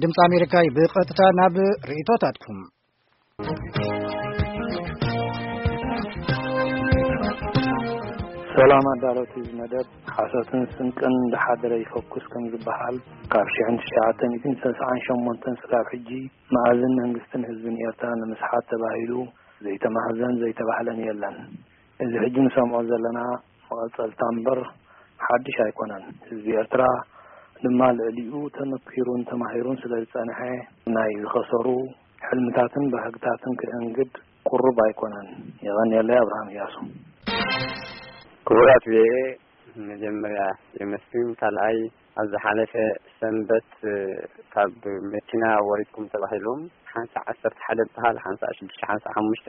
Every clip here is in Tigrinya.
ድምፂ ኣሜሪካ እዩ። ብቐጥታ ናብ ርእይቶታትኩም። ሰላም ኣዳለውቲ እዚ መደብ። ሓሶትን ስንቅን እንዳሓደረ ይፈኩስ ከም ዝበሃል፣ ካብ ሽሕን ትሽዓተ ሚእትን ሰስዓን ሸሞንተን ስጋብ ሕጂ መኣዝን መንግስትን ህዝብን ኤርትራ ንምስሓት ተባሂሉ ዘይተማህዘን ዘይተባህለን የለን። እዚ ሕጂ ንሰምዖ ዘለና መቐጸልታ እምበር ሓድሽ ኣይኮነን። ህዝቢ ኤርትራ ድማ ልዕሊኡ ተመኪሩን ተማሂሩን ስለ ዝጸንሐ፣ ናይ ዝኸሰሩ ሕልምታትን ባህግታትን ክእንግድ ቁሩብ ኣይኮነን። የቐንየለይ። ኣብርሃም እያሱ። ክቡራት ቪኦኤ፣ መጀመርያ የመስግን። ካልኣይ፣ ኣብ ዝሓለፈ ሰንበት፣ እ፣ ካብ መኪና ወሪድኩም ተባሂሎም፣ ሓንሳእ ዓሰርተ ሓደ ዝበሃል፣ ሓንሳእ ሽዱሽተ፣ ሓንሳእ ሓሙሽተ፣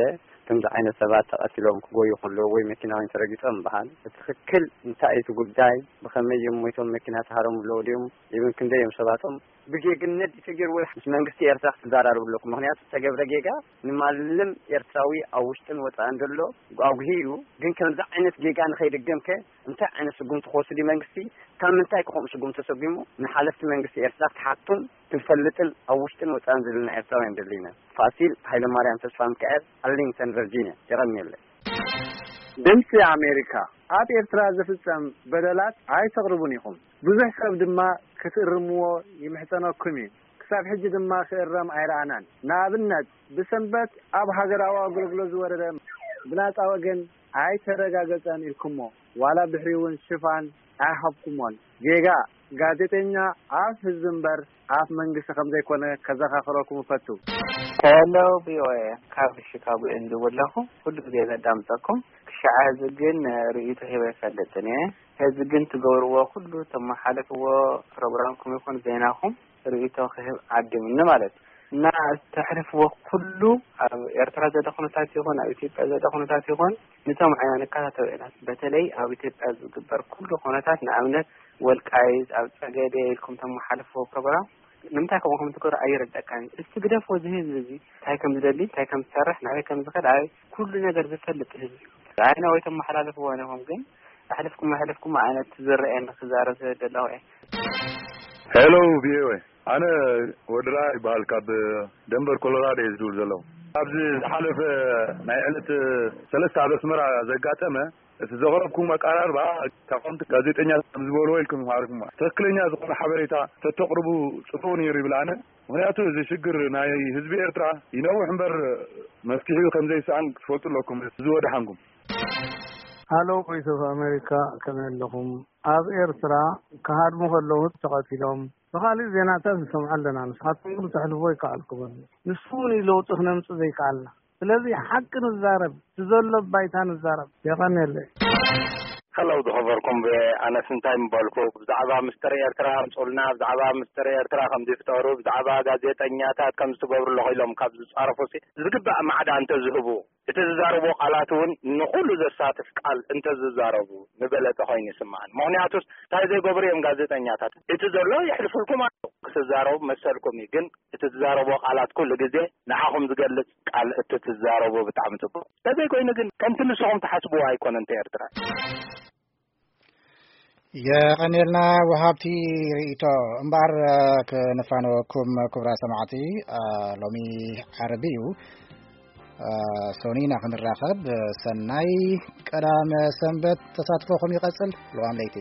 ከምዚ ዓይነት ሰባት ተቐቲሎም ክጎዩ ከለዉ ወይ መኪና ወይ ተረጊጾም በሃል። ብትኽክል እንታይ እዩ እቲ ጉዳይ? ብኸመይ እዮም ሞይቶም? መኪና ተሃረሙ ኣለዉ ድዮም? ኢብን ክንደይ እዮም ሰባቶም? ብጌግነት ተገይርዎ ምስ መንግስቲ ኤርትራ ክትዘራረቡ ኣለኩም። ምኽንያቱ ዝተገብረ ጌጋ ንማንም ኤርትራዊ ኣብ ውሽጥን ወጻእን ዘሎ ኣጉሂዩ፣ ግን ከምዚ ዓይነት ጌጋ ንኸይድገምከ እንታይ ዓይነት ስጉምቲ ክወስድ እዩ መንግስቲ? ካብ ምንታይ ክኾም ስጉምቲ ተሰጒሙ? ንሓለፍቲ መንግስቲ ኤርትራ ክትሓቱን ክንፈልጥን ኣብ ውሽጥን ወጻእን ዘለና ኤርትራውያን ደሊና። ፋሲል ሃይለማርያም ተስፋ ሚካኤል፣ ኣርሊንግተን ቨርጂኒያ። የቐንየለይ። ድምፂ ኣሜሪካ፣ ኣብ ኤርትራ ዝፍጸም በደላት ኣይተቕርቡን ኢኹም። ብዙሕ ሰብ ድማ ክትእርምዎ ይምሕጸነኩም እዩ። ክሳብ ሕጂ ድማ ክእረም ኣይረኣናን። ንኣብነት፣ ብሰንበት ኣብ ሃገራዊ ኣገልግሎት ዝወረደ ብናጻ ወገን ኣይተረጋገጸን ኢልኩሞ፣ ዋላ ድሕሪኡ እውን ሽፋን ኣይሃብኩሞን። ጌጋ ጋዜጠኛ ኣፍ ህዝቢ እምበር ኣፍ መንግስቲ ከም ዘይኮነ ከዘኻኽረኩም እፈቱ። ሄሎ ቪኦኤ፣ ካብ ሺካጎ እየ ዝድውል ኣለኹ። ኩሉ ግዜ ዘዳምፀኩም። ክሻዕ ሕዚ ግን ርእይቶ ሂበ ኣይፈልጥን እየ። ሕዚ ግን ትገብርዎ ኩሉ፣ ተመሓልፍዎ ፕሮግራምኩም ይኹን ዜናኹም ርእይቶ ክህብ ዓዲምኒ ማለት እዩ። እና እተሕልፍዎ ኩሉ ኣብ ኤርትራ ዘሎ ኩነታት ይኹን ኣብ ኢትዮጵያ ዘሎ ኩነታት ይኹን፣ ንሰምዖ ኢና፣ ንከታተሎ ኢና። በተለይ ኣብ ኢትዮጵያ ዝግበር ኩሉ ኩነታት፣ ንኣብነት ወልቃይት፣ ኣብ ጸገዴ ኢልኩም ተመሓልፍዎ ፕሮግራም፣ ንምንታይ ከምኡ ከም ትገብሩ ኣይርደካን። እስቲ ግደፍዎ፣ እዚ ህዝቢ እዚ እንታይ ከም ዝደሊ፣ እንታይ ከም ዝሰርሕ፣ ናበይ ከም ዝኸድ፣ ኣበይ ኩሉ ነገር ዝፈልጥ ህዝቢ እዩ። ኣይና ወይ ተመሓላልፍዎ ነኹም፣ ግን ኣሕልፍኩም ኣሕልፍኩም ዓይነት ዝረኣየኒ ክዛረብ ስለ ዘለኹ እየ። ሄሎ ቪኦኤ፣ ኣነ ወድራ ይበሃል፣ ካብ ደንቨር ኮሎራዶ እየ ዝድውል ዘለኹ። ኣብዚ ዝሓለፈ ናይ ዕለት ሰለስተ ኣብ ኣስመራ ዘጋጠመ፣ እቲ ዘቕረብኩም ኣቀራርባ፣ ተቓወምቲ ጋዜጠኛ ከም ዝበልዎ ኢልኩም ኢኹም ዓሪፍኩማ። ትኽክለኛ ዝኾነ ሓበሬታ ተተቕርቡ ጽቡቕ ነይሩ ይብል ኣነ። ምኽንያቱ እዚ ሽግር ናይ ህዝቢ ኤርትራ ይነውሕ እምበር መፍትሒኡ ከም ዘይሰኣን ክትፈልጡ ኣለኩም። እዚ ወደሓንኩም። ሃሎ ቮይስ ኦፍ ኣሜሪካ፣ ከመይ ኣለኹም? ኣብ ኤርትራ ክሃድሙ ከለዉ ተቐቲሎም፣ ብኻሊእ ዜናታት ንሰምዖ ኣለና። ንስኻትኩም ግን ተሕልፎ ይከኣልኩምን። ንሱ እውን እዩ ለውጢ ክነምጽእ ዘይከኣልና። ስለዚ ሓቂ ንዛረብ፣ እቲ ዘሎ ባይታ ንዛረብ። የቐንየለይ። ሄሎ፣ ዝኸበርኩም ብ-፣ ኣነስ እንታይ ምበልኩ? ብዛዕባ ምስተር ኤርትራ ኣምጹልና፣ ብዛዕባ ምስተር ኤርትራ ከም ዝፍጠሩ፣ ብዛዕባ ጋዜጠኛታት ከም ዝትገብሩ ኣለኹ ኢሎም ካብ ዝጻረፉ ሲ፣ ዝግባእ ማዕዳ እንተዝህቡ፣ እቲ ዝዛረብዎ ቃላት እውን ንኹሉ ዘሳትፍ ቃል እንተዝዛረቡ ምበለጸ ኮይኑ ይስምዓኒ። ምኽንያቱስ እንታይ ዘይገብሩ እዮም ጋዜጠኛታት? እቲ ዘሎ የሕልፉልኩም ኣለዉ። ክትዛረቡ መሰልኩም እዩ፣ ግን እቲ ትዛረብዎ ቃላት ኩሉ ግዜ ንዓኹም ዝገልጽ ቃል እቲ ትዛረቡ ብጣዕሚ ጽቡቕ። እንተዘይኮይኑ ግን ከምቲ ንስኹም ትሓስብዎ ኣይኮነን እቲ ኤርትራ። የቐንየልና ወሃብቲ ርእይቶ። እምበኣር፣ እ፣ ክንፋነወኩም ክቡራት ሰማዕቲ፣ እ፣ ሎሚ ዓርቢ እዩ። እ፣ ሶኒና ክንራኸብ። ሰናይ ቀዳመ ሰንበት። ተሳትፎኹም ይቐጽል። ልዋም ለይቲ።